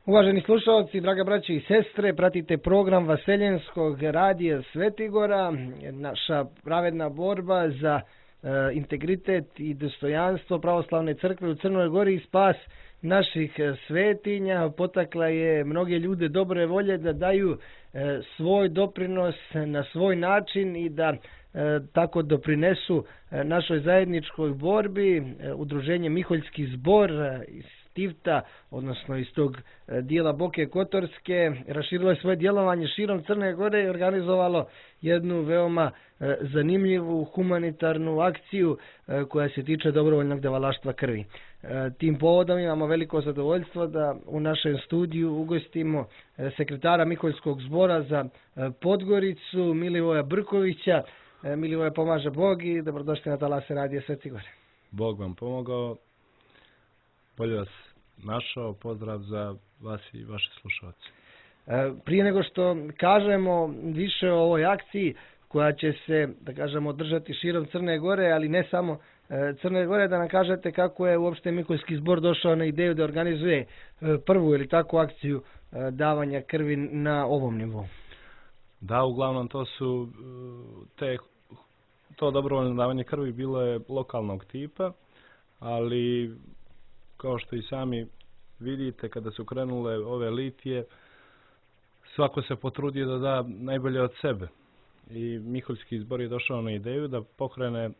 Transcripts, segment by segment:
Uvaženi slušalci, draga braće i sestre, pratite program Vaseljenskog radija Svetigora, naša pravedna borba za integritet i dostojanstvo pravoslavne crkve u Crnoj Gori i spas naših svetinja. Potakla je mnoge ljude dobre volje da daju svoj doprinos na svoj način i da tako doprinesu našoj zajedničkoj borbi. Udruženje Miholjski zbor iz Tivta, odnosno iz tog dijela Boke Kotorske, raširilo je svoje djelovanje širom Crne Gore i organizovalo jednu veoma zanimljivu humanitarnu akciju koja se tiče dobrovoljnog davalaštva krvi. Tim povodom imamo veliko zadovoljstvo da u našem studiju ugostimo sekretara Miholjskog zbora za Podgoricu, Milivoja Brkovića. Milivoja, pomaže Bog i dobrodošli na talase radija Svetigora. Bog vam pomogao, bolje vas našao, pozdrav za vas i vaše slušalce. Prije nego što kažemo više o ovoj akciji koja će se, da kažemo, održati širom Crne Gore, ali ne samo Crne Gore, da nam kažete kako je uopšte Miholjski zbor došao na ideju da organizuje prvu ili takvu akciju davanja krvi na ovom nivou. Da, uglavnom to su to dobrovoljno davanje krvi bilo je lokalnog tipa, ali kao što i sami vidite, kada su krenule ove litije, svako se potrudio da da najbolje od sebe. I Miholjski zbor je došao na ideju da pokrene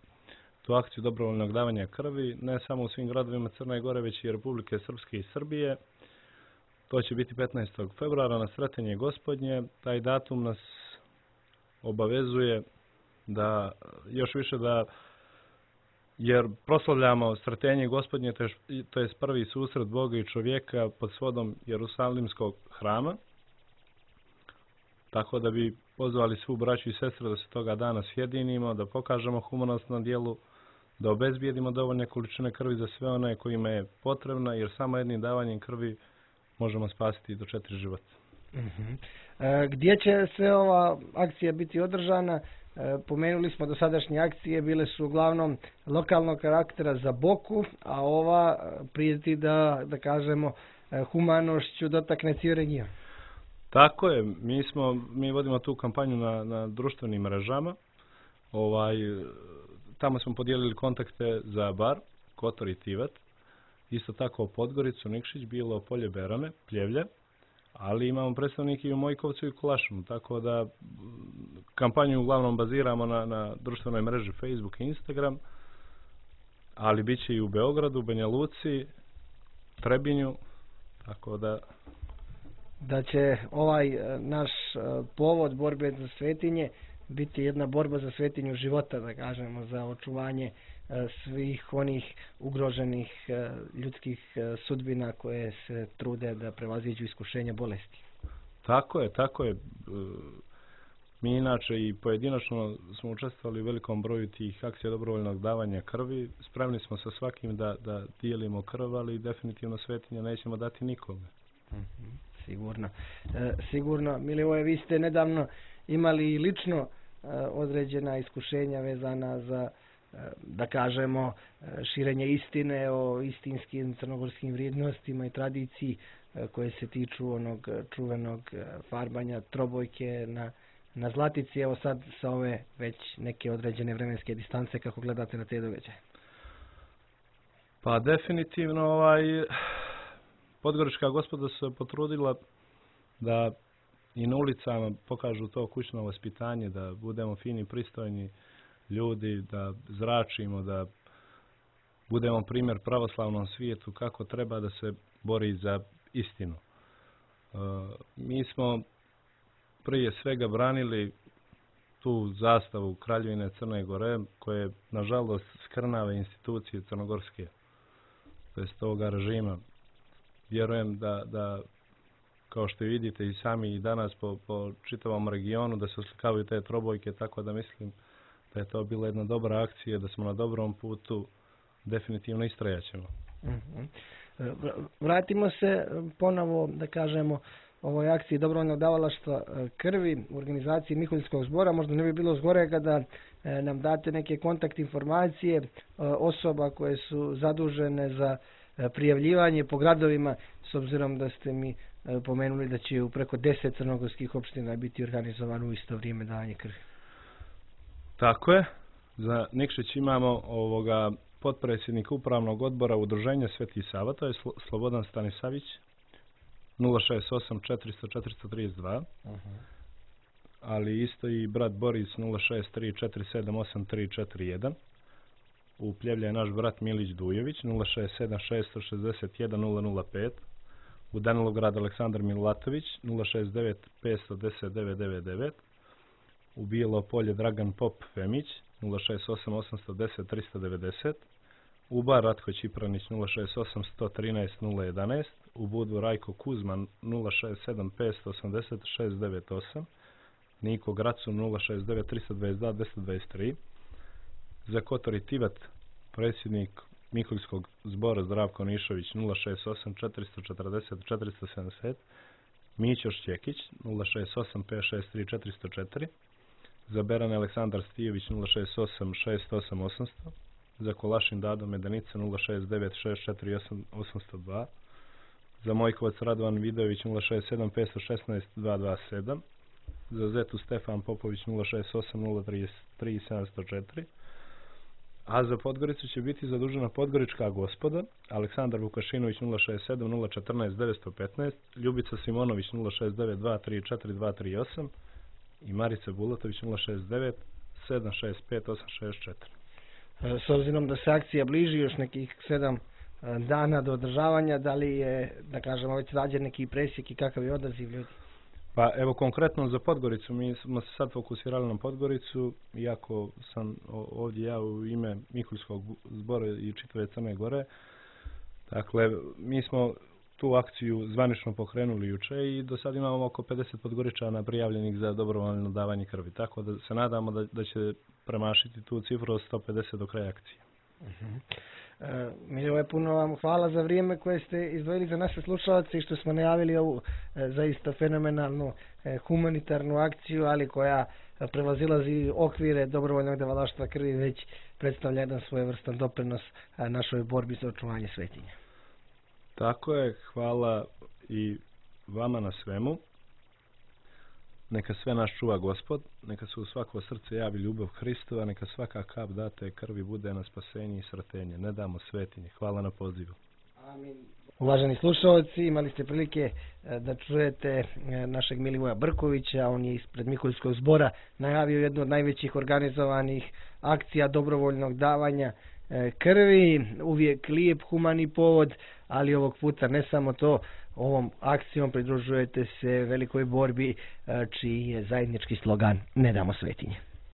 tu akciju dobrovoljnog davanja krvi, ne samo u svim gradovima Crne Gore, već i Republike Srpske i Srbije. To će biti 15. februara na Sretenje Gospodnje. Taj datum nas obavezuje da još više jer proslavljamo Sretenje Gospodnje, to je prvi susret Boga i čovjeka pod svodom Jerusalimskog hrama. Tako da bi pozvali svu braću i sestre da se toga dana sjedinimo, da pokažemo humanost na dijelu, da obezbijedimo dovoljne količine krvi za sve one kojima je potrebna, jer samo jednim davanjem krvi možemo spasiti do 4 života. Gdje će sve ova akcija biti održana? Pomenuli smo dosadašnje akcije, bile su uglavnom lokalnog karaktera za Boku, a ova prijeti da kažemo humanošću dotakne cijeli region. Tako je, mi vodimo tu kampanju na društvenim mrežama. Tamo smo podijelili kontakte za Bar, Kotor i Tivat. Isto tako Podgoricu, Nikšić, Bilo Polje, Berane, Pljevlje, ali imamo predstavnike i u Mojkovcu i Kulašinu, tako da kampanju uglavnom baziramo na društvenoj mreži Facebook i Instagram, ali bit će i u Beogradu, Banja Luci, Trebinju, tako da će ovaj naš povod borbe za svetinje biti jedna borba za svetinju života, da kažemo, za očuvanje svih onih ugroženih ljudskih sudbina koje se trude da prevaziđu iskušenja bolesti. Tako je. Mi inače i pojedinačno smo učestvovali u velikom broju tih akcija dobrovoljnog davanja krvi. Spremni smo sa svakim da dijelimo krv, ali definitivno svetinja nećemo dati nikome. Sigurno. Milivoje, vi ste nedavno imali lično određena iskušenja vezana za, da kažemo, širenje istine o istinskim crnogorskim vrijednostima i tradiciji koje se tiču onog čuvenog farbanja trobojke na Zlatici. Evo sad sa ove već neke određene vremenske distance, kako gledate na te događaje? Pa definitivno Podgorička gospoda se potrudila da i na ulicama pokažu to kućno vaspitanje, da budemo fini, pristojni ljudi, da zračimo, da budemo primjer pravoslavnom svijetu kako treba da se bori za istinu. Mi smo prije svega branili tu zastavu Kraljevine Crne Gore, koje nažalost skrnave institucije crnogorske, to jest ovoga režima. Vjerujem da kao što vidite i sami i danas po čitavom regionu da se oslikavaju te trobojke, tako da mislim da je to bila jedna dobra akcija, da smo na dobrom putu, definitivno istrajaćemo. Vratimo se ponovo, da kažemo, ovoj akciji dobrovoljnog davalaštva krvi u organizaciji Miholjskog zbora. Možda ne bi bilo zgorega da nam date neke kontakt informacije osoba koje su zadužene za prijavljivanje po gradovima, s obzirom da ste mi pomenuli da će u preko 10 crnogorskih opština biti organizovano u isto vrijeme davanje krvi. Tako je. Za Nikšić imamo potpredsjednika upravnog odbora Udruženja Sveti Sava, to je Slobodan Stanisavić, 068 400 432. Ali isto i brat Boris 063 478 341. U Pljevlja je naš brat Milić Dujović 067 661 005. U Danilograd Aleksandar Milatović 069 510 999. U Bijelo Polje Dragan Pop Femić 068 810 390. U Bar Ratko Čipranić 068 113 011. U Budvu Rajko Kuzman 067 580 698. Niko Gracu 069 322 223. Za Kotor i Tivat predsjednik Miholjskog zbora Zdravko Nišović 068 440 470. Mićo Šćekić 068 563 404. Za Berane Aleksandar Stijević 068 608 800. Za Kolašin Dado Medanica 069 648 802. Za Mojkovac Radovan Vidović 067 516 227. Za Zetu Stefan Popović 068 033 704. A za Podgoricu će biti zadužena Podgorička gospoda Aleksandar Vukašinović 067 014 915. Ljubica Simonović 069 234 238. I Marica Bulatović 069 765 864. S obzirom da se akcija bliži još nekih 7 dana do održavanja, da li je, da kažemo, već rađen neki presjek i kakav je odaziv ljudi? Pa evo konkretno za Podgoricu, mi smo se sad fokusirali na Podgoricu, iako sam ovdje ja u ime Miholjskog zbora i čitave Crne Gore. Dakle, mi smo tu akciju zvanično pokrenuli juče i do sad imamo oko 50 Podgoričana prijavljenih za dobrovoljno davanje krvi. Tako da se nadamo da će premašiti tu cifru od 150 do kraja akcije. Milivoje, puno vam hvala za vrijeme koje ste izdvojili za naše slušalce i što smo najavili ovu zaista fenomenalnu humanitarnu akciju, ali koja prevazilazi okvire dobrovoljnog davalaštva krvi, već predstavlja jedan svojevrstan doprinos našoj borbi za očuvanje svetinja. Tako je, hvala i vama na svemu. Neka sve nas čuva Gospod, neka se u svako srce javi ljubav Hristova, neka svaka kap date krvi bude na spasenje i sratenje. Ne damo svetinje. Hvala na pozivu. Amin. Uvaženi slušalci, imali ste prilike da čujete našeg Milivoja Brkovića. On je ispred Miholjskog zbora najavio jednu od najvećih organizovanih akcija dobrovoljnog davanja krvi. Uvijek lijep humani povod, ali ovog puta ne samo to. Ovom akcijom pridružujete se velikoj borbi čiji je zajednički slogan Ne damo svetinje.